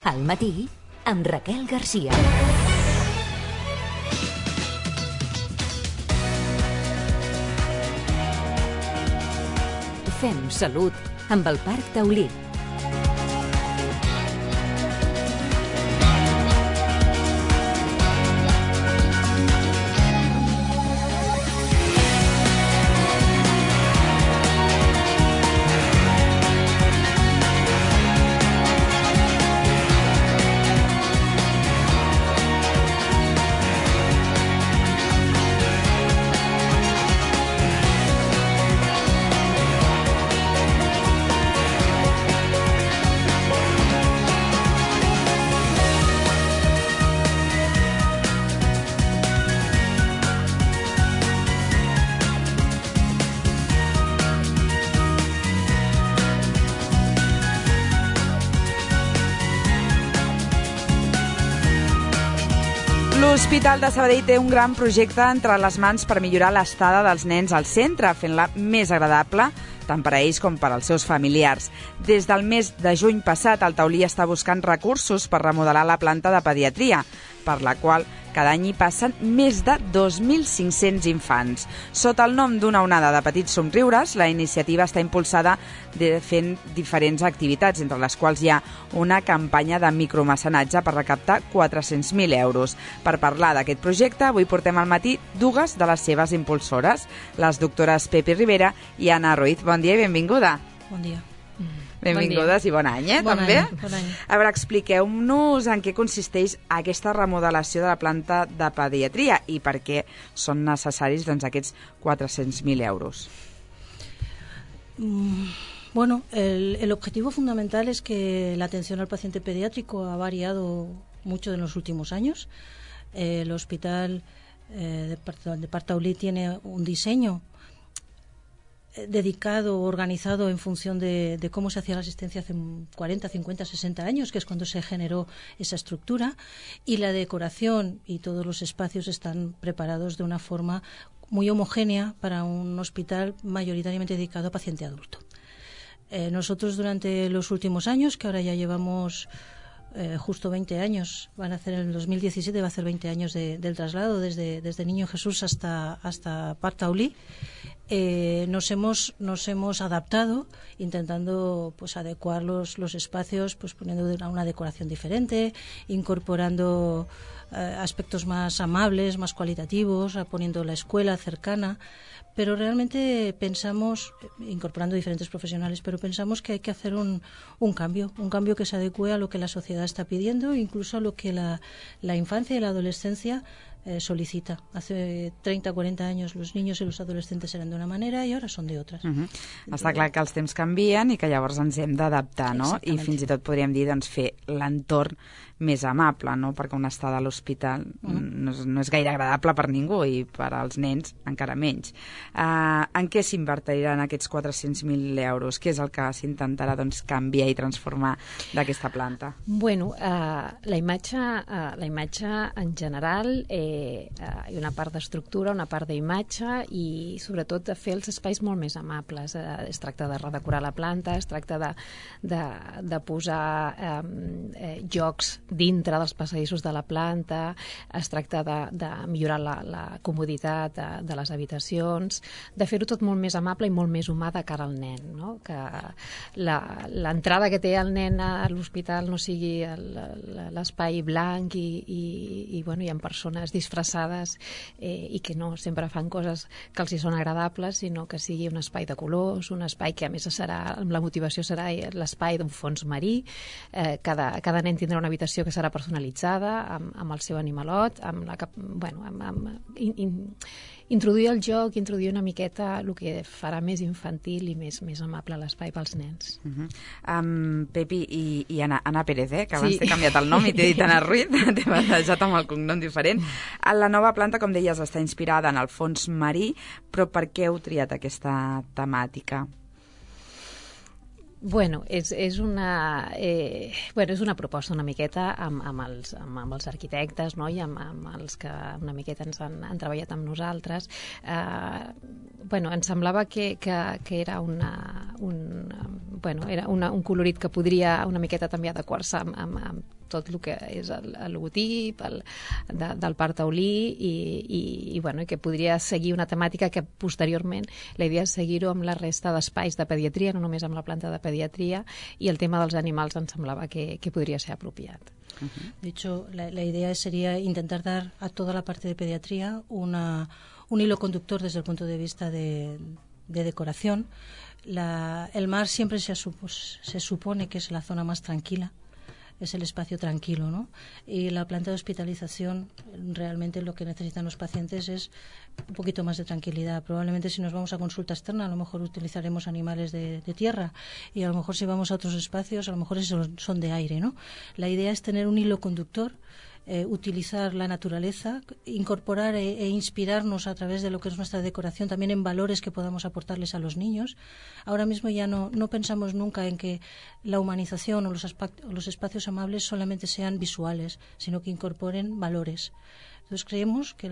Al matí, amb Raquel Garcia. Fem salut amb el Parc Taulí. L'Hospital de Sabadell té un gran projecte entre les mans per millorar l'estada dels nens al centre, fent-la més agradable tant per a ells com per als seus familiars. Des del mes de juny passat, el Taulí està buscant recursos per remodelar la planta de pediatria, per la qual cada any hi passen més de 2.500 infants. Sota el nom d'una onada de petits somriures, la iniciativa està impulsada fent diferents activitats, entre les quals hi ha una campanya de micromecenatge per recaptar 400.000 euros. Per parlar d'aquest projecte, avui portem al matí dues de les seves impulsores, les doctores Pepi Rivera i Anna Ruiz. Bon dia i benvinguda. Bon dia. Benvingudes i bon any, també? Bon any. A veure, expliqueu-nos en què consisteix aquesta remodelació de la planta de pediatria i per què són necessaris aquests 400.000 euros. Bueno, el objetivo fundamental es que la atención al paciente pediátrico ha variado mucho en los últimos años. El hospital de Parc Taulí tiene un diseño dedicado, organizado en función de cómo se hacía la asistencia hace 40, 50, 60 años, que es cuando se generó esa estructura, y la decoración y todos los espacios están preparados de una forma muy homogénea para un hospital mayoritariamente dedicado a paciente adulto. Nosotros durante los últimos años, que ahora ya llevamos justo 20 años, van a hacer en el 2017, va a hacer 20 años del traslado desde Niño Jesús hasta Parc Taulí, nos hemos adaptado intentando adecuar los espacios, poniendo una decoración diferente, incorporando aspectos más amables, más cualitativos, poniendo la escuela cercana, pero realmente pensamos, incorporando diferentes profesionales, pero pensamos que hay que hacer un cambio que se adecue a lo que la sociedad está pidiendo, incluso a lo que la infancia y la adolescencia solicita. Hace 30, 40 años los niños i los adolescentes eren d'una manera i ara són d'altres. Està clar que els temps canvien i que llavors ens hem d'adaptar, no? I fins i tot podríem dir fer l'entorn més amable, no? Perquè una estada a l'hospital no és gaire agradable per ningú i per als nens encara menys. En què s'invertiran aquests 400.000 euros? Què és el que s'intentarà canviar i transformar d'aquesta planta? Bueno, la imatge en general, hi ha una part d'estructura, una part d'imatge i sobretot de fer els espais molt més amables. Es tracta de redecorar la planta, es tracta de posar jocs dintre dels passadissos de la planta, es tracta de millorar la comoditat de les habitacions, de fer-ho tot molt més amable i molt més humà de cara al nen, no? Que l'entrada que té el nen a l'hospital no sigui l'espai blanc i hi ha persones disfressades i que no sempre fan coses que els hi són agradables, sinó que sigui un espai de colors, un espai que a més la motivació serà l'espai d'un fons marí. Cada nen tindrà una habitació que serà personalitzada amb el seu animalot, introduir el joc, introduir una miqueta el que farà més infantil i més amable l'espai pels nens. Pepi i Anna Pérez, que abans t'he canviat el nom i t'he dit Anna Ruiz, t'he batejat amb el cognom diferent. La nova planta, com deies, està inspirada en el fons marí, però per què heu triat aquesta temàtica? Bueno, és una proposta una miqueta amb els arquitectes, no? I amb els que una miqueta ens han treballat amb nosaltres. Ens semblava que era un colorit que podria una miqueta també adequar-se amb tot el que és el logotip del Parc Taulí i que podria seguir una temàtica que posteriorment la idea és seguir-ho amb la resta d'espais de pediatria, no només amb la planta de pediatria, i el tema dels animals em semblava que podria ser apropiat. De hecho, la idea sería intentar dar a toda la parte de pediatría un hilo conductor desde el punto de vista de decoración. El mar siempre se supone que es la zona más tranquila, es el espacio tranquilo, ¿no? Y la planta de hospitalización, realmente lo que necesitan los pacientes es un poquito más de tranquilidad. Probablemente si nos vamos a consulta externa, a lo mejor utilizaremos animales de tierra, y a lo mejor si vamos a otros espacios, a lo mejor esos son de aire, ¿no? La idea es tener un hilo conductor, utilizar la naturaleza, incorporar e inspirarnos a través de lo que es nuestra decoración también en valores que podamos aportarles a los niños. Ahora mismo ya no pensamos nunca en que la humanización o los espacios amables solamente sean visuales, sino que incorporen valores. Entonces creemos que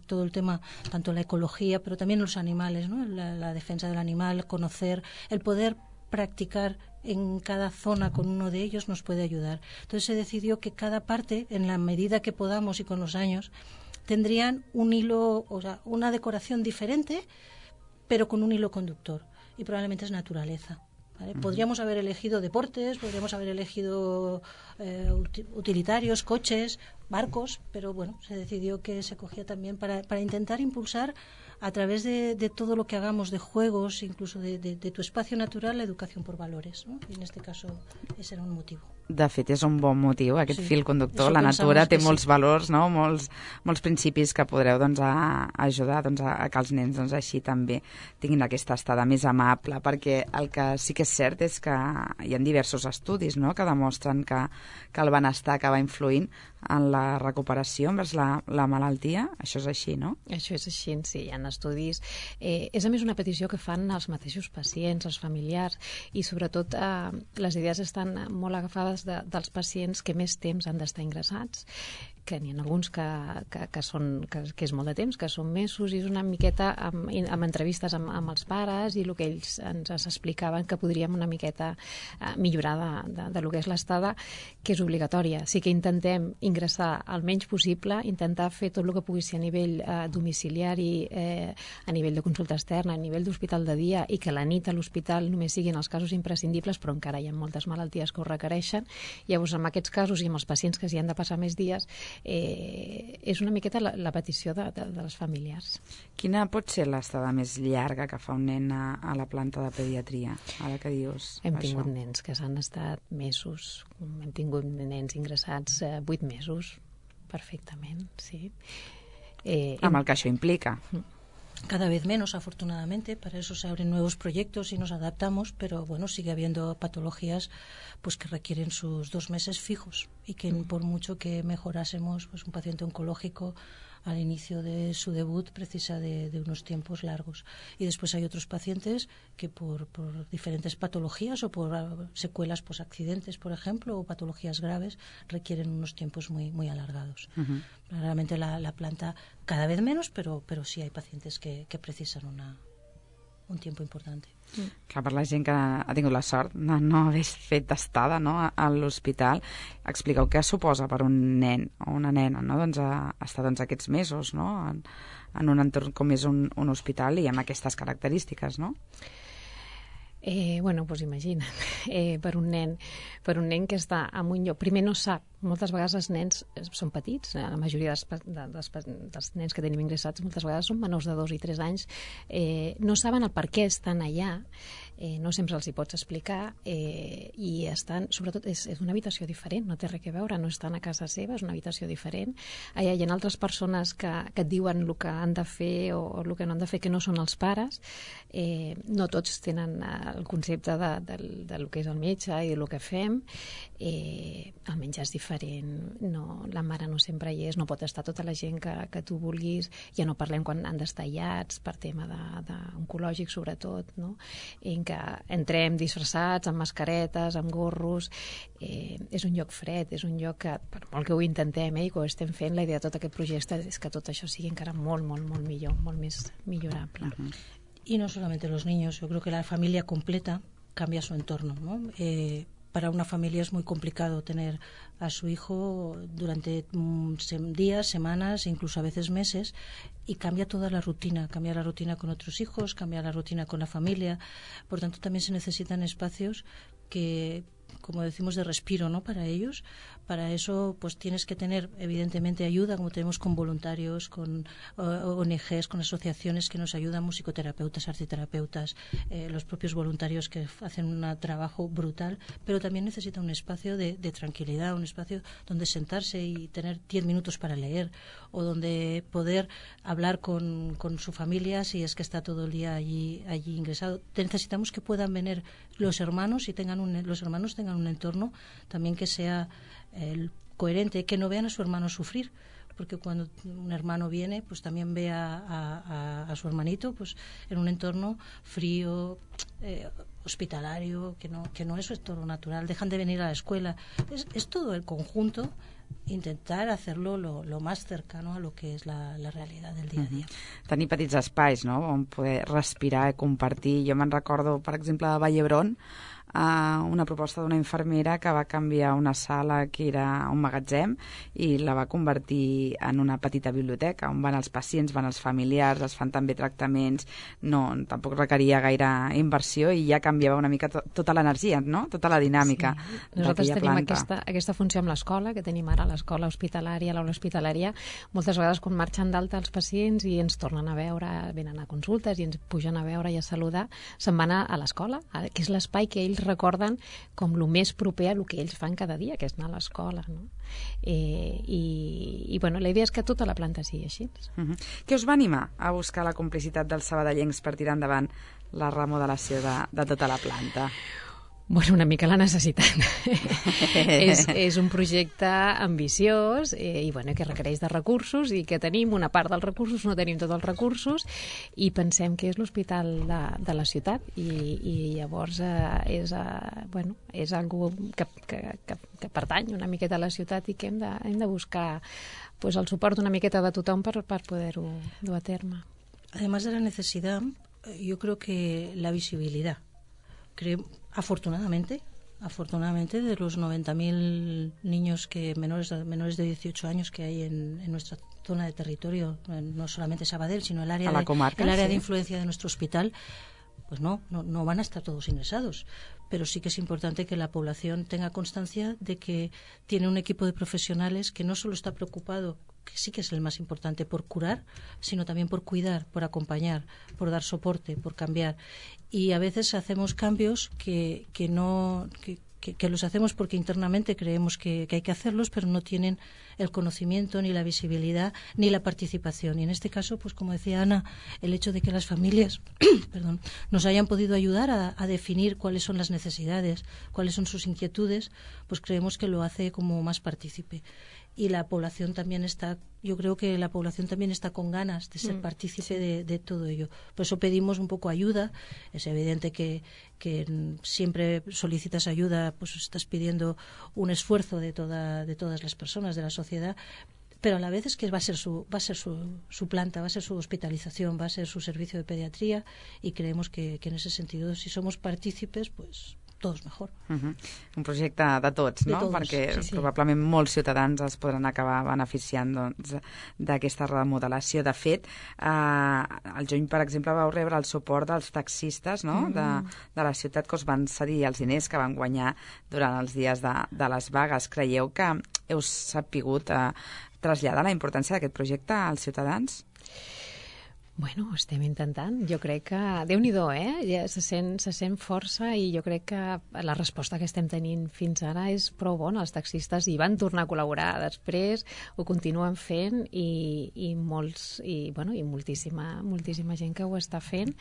todo el tema, tanto la ecología, pero también los animales, ¿no? La defensa del animal, conocer, el poder practicar en cada zona con uno de ellos nos puede ayudar. Entonces se decidió que cada parte, en la medida que podamos y con los años, tendrían un hilo, o sea, una decoración diferente, pero con un hilo conductor. Y probablemente es naturaleza. ¿Vale? Podríamos haber elegido deportes, podríamos haber elegido utilitarios, coches, barcos, pero bueno, se decidió que se cogía también para intentar impulsar a través de todo lo que hagamos, de juegos, incluso de tu espacio natural, la educación por valores, ¿no? Y en este caso ese era un motivo. De fet, és un bon motiu, aquest fil conductor. La natura té molts valors, no? molts principis que podreu ajudar a que els nens així també tinguin aquesta estada més amable, perquè el que sí que és cert és que hi ha diversos estudis, no?, que demostren que el benestar acaba influint en la recuperació envers la malaltia. Això és així, no? Això és així, sí, hi ha estudis. És a més una petició que fan els mateixos pacients, els familiars, i sobretot les idees estan molt agafades dels pacients que més temps han d'estar ingressats, que n'hi ha alguns que és molt de temps, que són mesos, i és una miqueta amb entrevistes amb els pares i el que ells ens explicaven que podríem una miqueta millorar de lo que és l'estada, que és obligatòria. Sí que intentem ingressar el menys possible, intentar fer tot el que pugui ser a nivell domiciliari, a nivell de consulta externa, a nivell d'hospital de dia, i que la nit a l'hospital només siguin els casos imprescindibles, però encara hi ha moltes malalties que ho requereixen. Llavors, en aquests casos i amb els pacients que s'hi han de passar més dies, és una miqueta la petició dels familiars. Quina pot ser l'estada més llarga que fa un nen a la planta de pediatria? Ara que dius Hem tingut nens que s'han estat mesos, hem tingut nens ingressats 8 mesos, perfectament, sí. Amb el que això implica. Cada vez menos, afortunadamente, para eso se abren nuevos proyectos y nos adaptamos, pero bueno, sigue habiendo patologías pues que requieren sus 2 meses fijos, y que por mucho que mejorásemos, pues un paciente oncológico al inicio de su debut precisa de unos tiempos largos. Y después hay otros pacientes que por diferentes patologías o por secuelas accidentes, por ejemplo, o patologías graves, requieren unos tiempos muy, muy alargados. Realmente la planta cada vez menos, pero sí hay pacientes que precisan un tiempo importante. Clar, per la gent que ha tingut la sort de no haver fet estada, no, a l'hospital, expliqueu què suposa per un nen o una nena, no, estar aquests mesos, no, en un entorn com és un hospital i amb aquestes característiques, no? Bueno, doncs imagina't, per un nen que està en un lloc, primer no sap, moltes vegades els nens són petits, la majoria dels nens que tenim ingressats moltes vegades són menors de 2 i 3 anys, no saben el per què estan allà, no sempre els hi pots explicar, i estan, sobretot, és una habitació diferent, no té res a veure, no estan a casa seva, és una habitació diferent. Hi ha altres persones que et diuen el que han de fer o el que no han de fer, que no són els pares. No tots tenen el concepte del que és el metge i del que fem. El menjar és diferent, la mare no sempre hi és, no pot estar tota la gent que tu vulguis, ja no parlem quan han d'estar aïllats per tema oncològic, sobretot, no? En què entrem disfressats, amb mascaretes, amb gorros. És un lloc fred, és un lloc que, per molt que ho intentem i que ho estem fent, la idea de tot aquest projecte és que tot això sigui encara molt, molt, molt millor, molt més millorable. Y no solamente los niños, yo creo que la familia completa cambia su entorno, ¿no? para una familia es muy complicado tener a su hijo durante días, semanas, incluso a veces meses, y cambia toda la rutina con otros hijos, cambia la rutina con la familia. Por tanto, también se necesitan espacios que, como decimos, de respiro, ¿no?, para ellos. Para eso pues tienes que tener evidentemente ayuda, como tenemos con voluntarios, con ONGs, con asociaciones que nos ayudan, musicoterapeutas, arteterapeutas, los propios voluntarios que hacen un trabajo brutal, pero también necesita un espacio de tranquilidad, un espacio donde sentarse y tener 10 minutos para leer, o donde poder hablar con su familia si es que está todo el día allí ingresado. Necesitamos que puedan venir los hermanos y los hermanos tengan un entorno también que sea coherente, que no vean a su hermano sufrir, porque cuando un hermano viene, pues también ve a su hermanito pues en un entorno frío, hospitalario, que no es su entorno natural. Dejan de venir a la escuela. Es todo el conjunto, intentar hacerlo lo más cercano a lo que és la realidad del dia a dia. Tenir petits espais, no?, on poder respirar i compartir. Jo me'n recordo, per exemple, de Vall d'Hebron, una proposta d'una infermera que va canviar una sala que era un magatzem i la va convertir en una petita biblioteca on van els pacients, van els familiars, es fan també tractaments, tampoc requeria gaire inversió i ja canviava una mica tota l'energia, no?, tota la dinàmica. Sí. Nosaltres tenim aquesta funció amb l'escola, que tenim ara l'escola hospitalària, l'aula hospitalària. Moltes vegades quan marxen d'alta els pacients i ens tornen a veure, venen a consultes i ens pugen a veure i a saludar, se'n van a l'escola, que és l'espai que ells recorden com el més proper a el que ells fan cada dia, que és anar a l'escola, no? I bueno, la idea és que tota la planta sigui així. Què us va animar a buscar la complicitat dels sabadellencs per tirar endavant la remodelació de tota la planta? Bueno, una mica la necessitat. és un projecte ambiciós i bueno, que requereix de recursos i que tenim una part dels recursos, no tenim tots els recursos i pensem que és l'hospital de la ciutat i llavors és algo que pertany una miqueta a la ciutat i que hem de buscar pues, el suport una miqueta de tothom per poder-ho dur a terme. Además de la necesidad, yo creo que la visibilidad. Afortunadamente, de los 90.000 niños menores de 18 años que hay en nuestra zona de territorio, no solamente Sabadell, sino el área de influencia de nuestro hospital, pues no van a estar todos ingresados. Pero sí que es importante que la población tenga constancia de que tiene un equipo de profesionales que no solo está preocupado, que sí que es el más importante, por curar, sino también por cuidar, por acompañar, por dar soporte, por cambiar. Y a veces hacemos cambios que los hacemos porque internamente creemos que hay que hacerlos, pero no tienen el conocimiento, ni la visibilidad, ni la participación. Y en este caso, pues como decía Ana, el hecho de que las familias nos hayan podido ayudar a definir cuáles son las necesidades, cuáles son sus inquietudes, pues creemos que lo hace como más partícipe. Y la población también yo creo que la población también está con ganas de ser partícipe de todo ello. Por eso pedimos un poco ayuda. Es evidente que siempre solicitas ayuda, pues estás pidiendo un esfuerzo de todas las personas de la sociedad, pero a la vez es que va a ser su planta, va a ser su hospitalización, va a ser su servicio de pediatría y creemos que en ese sentido, si somos partícipes, pues tots mejor. Un projecte de tots, no? Perquè probablement molts ciutadans es podran acabar beneficiant d'aquesta remodelació. De fet, al juny, per exemple, vau rebre el suport dels taxistes de la ciutat que us van cedir els diners que van guanyar durant els dies de les vagues. Creieu que heu sapigut traslladar la importància d'aquest projecte als ciutadans? Bueno, estem intentant. Jo crec que... Déu-n'hi-do, ja se sent força i jo crec que la resposta que estem tenint fins ara és prou bona. Els taxistes hi van tornar a col·laborar després, ho continuen fent i moltíssima gent que ho està fent.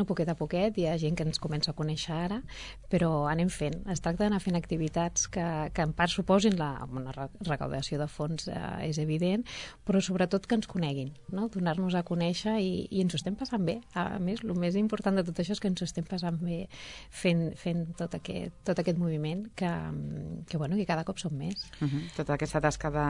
Poquet a poquet, hi ha gent que ens comença a conèixer ara, però anem fent. Es tracta d'anar fent activitats que en part suposin una recaudació de fons, és evident, però sobretot que ens coneguin, no? Donar-nos a conèixer i ens ho estem passant bé. A més, el més important de tot això és que ens ho estem passant bé fent tot aquest moviment que cada cop som més. Tota aquesta tasca de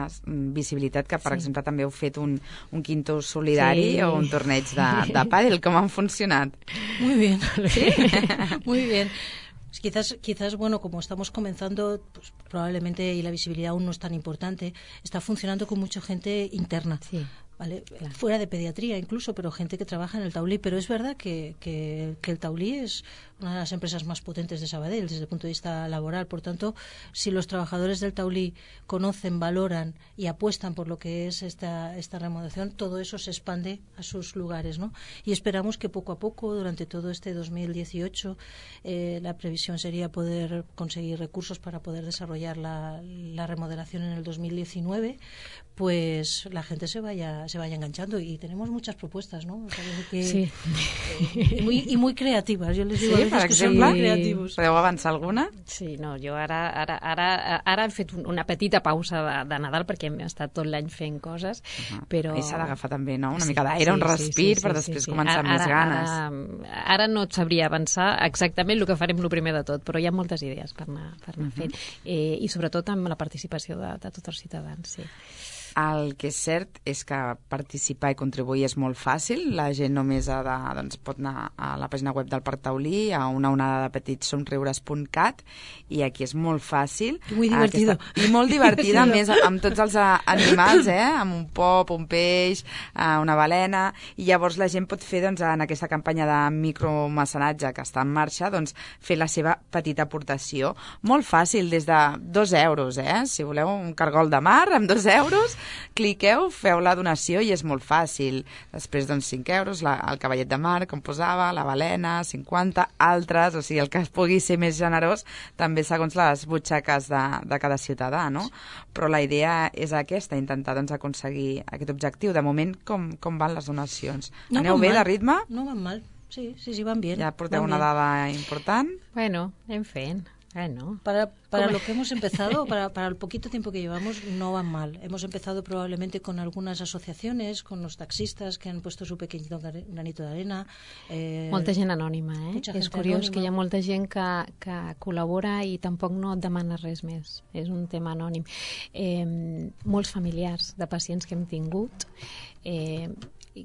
visibilitat que, per exemple, també heu fet un quinto solidari o un torneig de pàdel. Com han funcionat? Muy bien. ¿Sí? Muy bien. Quizás, bueno, como estamos comenzando, pues, probablemente, y la visibilidad aún no es tan importante, está funcionando con mucha gente interna. Sí. ¿Vale? Claro. Fuera de pediatría incluso, pero gente que trabaja en el Taulí. Pero es verdad que el Taulí es una de las empresas más potentes de Sabadell desde el punto de vista laboral. Por tanto, si los trabajadores del Taulí conocen, valoran y apuestan por lo que es esta remodelación, todo eso se expande a sus lugares, ¿no? Y esperamos que poco a poco, durante todo este 2018, la previsión sería poder conseguir recursos para poder desarrollar la remodelación en el 2019, pues la gente se vaya enganchando, y tenemos muchas propuestas, ¿no? O sea, sí. Muy creativas. Yo les digo, sí, per exemple, creativos. Podeu avançar alguna? Sí, no, jo ara hem fet una petita pausa de Nadal perquè hem estat tot l'any fent coses, però... I s'ha d'agafar també, no? Una mica d'aire, un respir, per després començar amb més ganes. Ara no et sabria avançar exactament el que farem el primer de tot, però hi ha moltes idees per anar fent. I sobretot amb la participació de tots els ciutadans, sí. El que és cert és que participar i contribuir és molt fàcil. La gent només pot anar a la pàgina web del Parc Taulí, a una onada de petitsomriures.cat, i aquí és molt fàcil. Muy divertido. I molt divertida, a més, amb tots els animals, amb un pop, un peix, una balena, i llavors la gent pot fer, en aquesta campanya de micromecenatge que està en marxa, fer la seva petita aportació. Molt fàcil, des de 2 euros, si voleu un cargol de mar, amb 2 euros, cliqueu, feu la donació i és molt fàcil. Després, 5 euros, el cavallet de mar, com posava, la balena, 50, altres, o sigui, el que es pugui ser més generós, també segons les butxaques de cada ciutadà, no? Però la idea és aquesta, intentar aconseguir aquest objectiu. De moment, com van les donacions? Aneu bé de ritme? No van mal, sí, van bien. Ja porteu una dada important? Bueno, anem fent. Bueno. Para lo que hemos empezado, para el poquito tiempo que llevamos, no van mal. Hemos empezado probablemente con algunas asociaciones, con los taxistas que han puesto su pequeñito granito de arena. Molta gent anònima, És curiós que hi ha molta gent que col·labora i tampoc no et demana res més. És un tema anònim. Molts familiars de pacients que hem tingut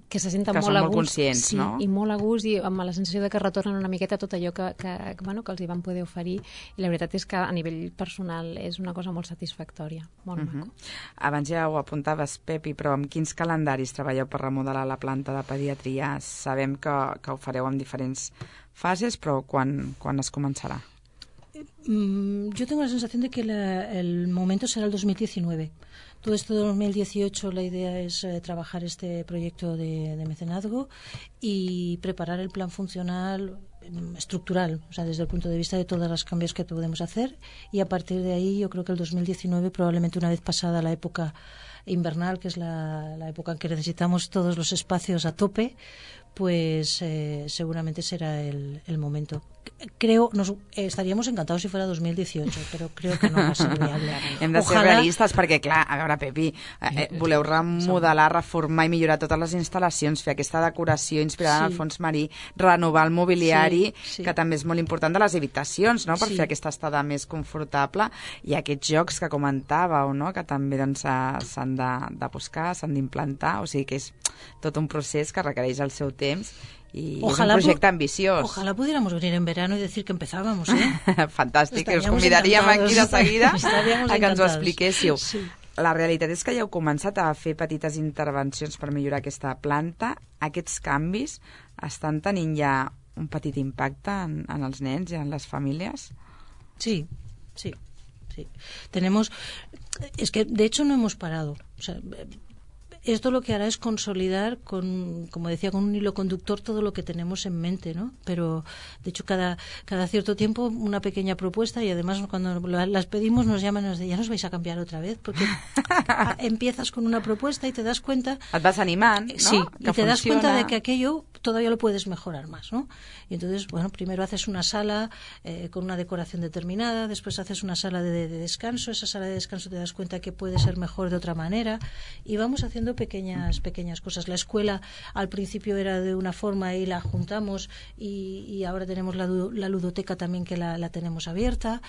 que se senten molt a gust, conscients, sí, no? I molt a gust, i amb la sensació de que retornen una miqueta tot allò que els hi van poder oferir, i la veritat és que a nivell personal és una cosa molt satisfactòria, molt maco. Abans ja ho apuntaves, Pepi, però amb quins calendaris treballeu per remodelar la planta de pediatria? Sabem que ho fareu en diferents fases, però quan es començarà? Yo tengo la sensación de que el momento será el 2019. Todo esto de 2018 la idea es trabajar este proyecto de mecenazgo y preparar el plan funcional estructural, o sea, desde el punto de vista de todos los cambios que podemos hacer, y a partir de ahí yo creo que el 2019, probablemente una vez pasada la época invernal, que es la época en que necesitamos todos los espacios a tope, pues seguramente será el momento. Estaríamos encantados si fuera 2018, però creo que no va ser viable. Hem de ser realistes perquè, clar, a veure, Pepi, voleu remodelar, reformar i millorar totes les instal·lacions, fer aquesta decoració inspirada en el fons marí, renovar el mobiliari, que també és molt important, de les habitacions, no?, per fer aquesta estada més confortable, i aquests jocs que comentàveu, no?, que també s'han de buscar, s'han d'implantar, o sigui que és tot un procés que requereix el seu temps. Y ojalá, es un proyecto ambiciós. Ojalá pudiéramos venir en verano y decir que empezábamos, Fantàstic, us convidaríem aquí de seguida a que ens ho expliquéssiu. Sí. La realitat és que ja heu començat a fer petites intervencions per millorar aquesta planta. Aquests canvis estan tenint ja un petit impacte en els nens i en les famílies? Sí. Es que de hecho no hemos parado. O sea, esto lo que hará es consolidar, como decía, con un hilo conductor todo lo que tenemos en mente, ¿no? Pero, de hecho, cada cierto tiempo una pequeña propuesta, y además cuando las pedimos nos llaman y nos dicen, ya nos vais a cambiar otra vez, porque empiezas con una propuesta y te das cuenta... Et vas animant, ¿no? Sí, y te das cuenta de que aquello todavía lo puedes mejorar más, ¿no? Y entonces, bueno, primero haces una sala con una decoración determinada, después haces una sala de descanso, esa sala de descanso te das cuenta que puede ser mejor de otra manera, y vamos haciendo pequeñas cosas. La escuela al principio era de una forma y la juntamos, y ahora tenemos la ludoteca también, que la tenemos abierta.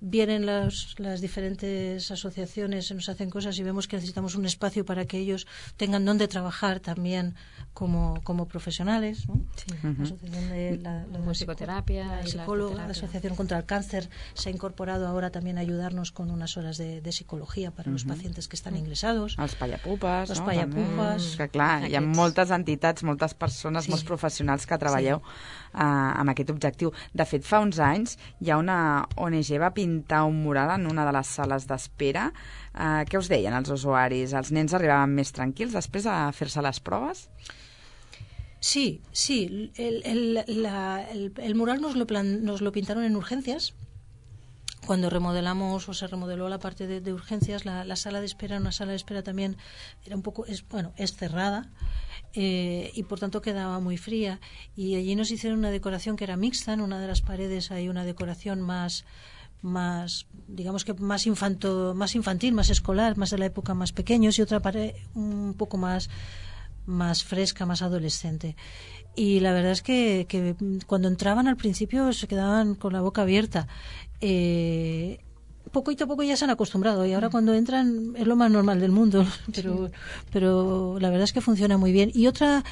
vienen las diferentes asociaciones, nos hacen cosas y vemos que necesitamos un espacio para que ellos tengan donde trabajar también como profesionales, ¿no? Sí. La asociación de la musicoterapia, la psicóloga, la Asociación contra el Cáncer se ha incorporado ahora también a ayudarnos con unas horas de psicología para los pacientes que están ingresados. Els pallapupes, Els no? pallapupes. Que clar, hi ha moltes entitats, moltes persones, molts professionals que treballeu amb aquest objectiu. De fet, fa uns anys hi ha una ONG va pintar un mural en una de les sales d'espera. Què us deien els usuaris? Els nens arribaven més tranquils després de fer-se les proves? Sí. El mural nos lo pintaron en urgencias. Cuando remodelamos o se remodeló la parte de urgencias, la sala de espera, una sala de espera también era un poco, es cerrada y por tanto quedaba muy fría. Y allí nos hicieron una decoración que era mixta. En una de las paredes hay una decoración más digamos que más infantil, más escolar, más de la época más pequeños, y otra pared un poco más fresca, más adolescente. Y la verdad es que cuando entraban al principio se quedaban con la boca abierta. Poquito a poco ya se han acostumbrado y ahora cuando entran es lo más normal del mundo, pero la verdad es que funciona muy bien. Y otra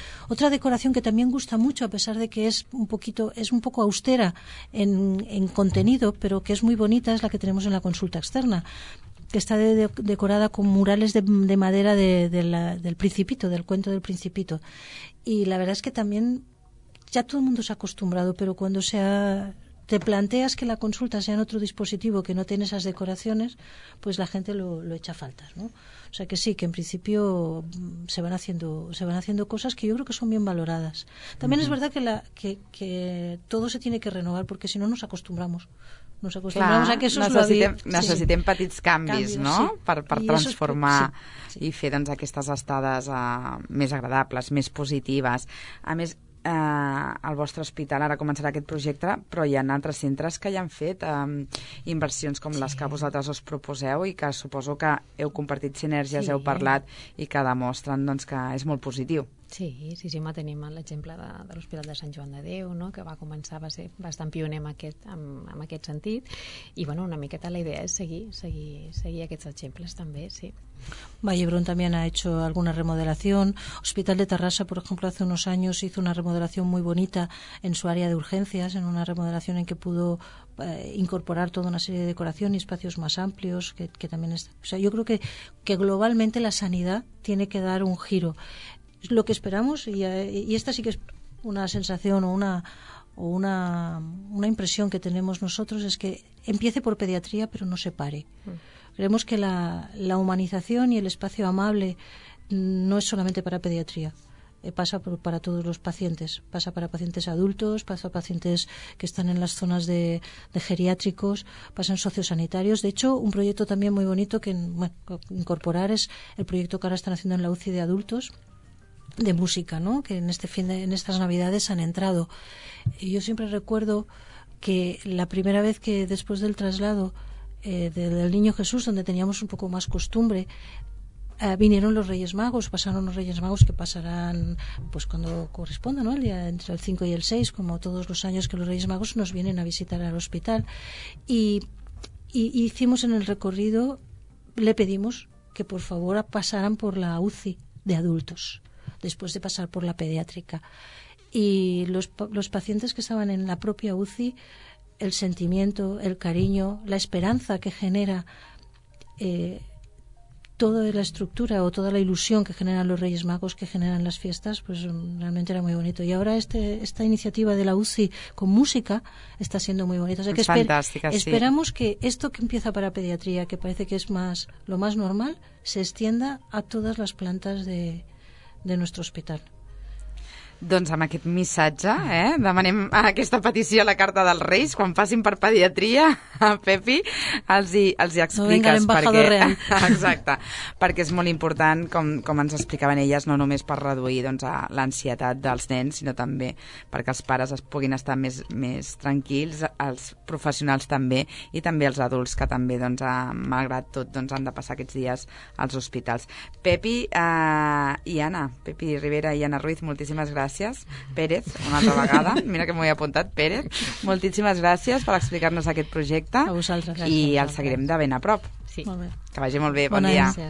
decoración que también gusta mucho, a pesar de que es un poco austera en contenido, pero que es muy bonita, es la que tenemos en la consulta externa, que está decorada con murales de madera del Principito, del cuento del Principito. Y la verdad es que también ya todo el mundo se ha acostumbrado, pero cuando te planteas que la consulta sea en otro dispositivo que no tiene esas decoraciones, pues la gente lo echa a faltas, ¿no? O sea que sí, que en principio se van haciendo cosas que yo creo que son bien valoradas. También es verdad que todo se tiene que renovar, porque si no nos acostumbramos. Nos acostumbramos a que eso es lo habitual. Necessitem petits canvis, no? Sí. Per transformar i fer doncs, aquestes estades més agradables, més positives. A més, al vostre hospital ara començarà aquest projecte, però hi ha altres centres que ja han fet inversions com les que vosaltres us proposeu i que suposo que heu compartit sinergies, heu parlat i que demostren doncs, que és molt positiu. Sí, tenim l'exemple de l'Hospital de Sant Joan de Déu, no? Que va ser bastant pioner en aquest sentit, i bueno, una miqueta la idea és seguir aquests exemples també, sí. Vallebrón también ha hecho alguna remodelación. Hospital de Tarrasa, por ejemplo, hace unos años hizo una remodelación muy bonita en su área de urgencias, en una remodelación en que pudo incorporar toda una serie de decoración y espacios más amplios, que también es... O sea, yo creo que globalmente la sanidad tiene que dar un giro. Lo que esperamos, y esta sí que es una sensación o una impresión que tenemos nosotros, es que empiece por pediatría pero no se pare. Creemos que la humanización y el espacio amable no es solamente para pediatría, pasa para todos los pacientes, pasa para pacientes adultos, pasa para pacientes que están en las zonas de geriátricos, pasa en sociosanitarios. De hecho, un proyecto también muy bonito que incorporar es el proyecto que ahora están haciendo en la UCI de adultos, de música, ¿no? Que en estas Navidades han entrado. Y yo siempre recuerdo que la primera vez que después del traslado del Niño Jesús, donde teníamos un poco más costumbre, vinieron los Reyes Magos, pasaron los Reyes Magos, que pasarán pues cuando corresponda, ¿no? El día entre el 5 y el 6, como todos los años que los Reyes Magos nos vienen a visitar al hospital. Y hicimos en el recorrido, le pedimos que por favor pasaran por la UCI de adultos, después de pasar por la pediátrica. Y los pacientes que estaban en la propia UCI, el sentimiento, el cariño, la esperanza que genera toda la estructura o toda la ilusión que generan los Reyes Magos, que generan las fiestas, pues realmente era muy bonito. Y ahora esta iniciativa de la UCI con música está siendo muy bonita. O sea, que fantástica, esperamos que esto que empieza para pediatría, que parece que es lo más normal, se extienda a todas las plantas de nuestro hospital. Doncs amb aquest missatge demanem aquesta petició a la Carta dels Reis. Quan passin per pediatria, Pepi, els hi expliques. No venga l'embajador real. Exacte, perquè és molt important, com ens explicaven elles, no només per reduir l'ansietat dels nens, sinó també perquè els pares es puguin estar més tranquils, els professionals també, i també els adults que també, malgrat tot, han de passar aquests dies als hospitals. Pepi i Anna, Pepi Rivera i Anna Ruiz, moltíssimes gràcies gràcies. Pérez, una altra vegada. Mira que m'ho he apuntat, Pérez. Moltíssimes gràcies per explicar-nos aquest projecte. A vosaltres. I el seguirem de ben a prop. Sí. Molt bé. Que vagi molt bé. Bon Bona dia. Gràcies.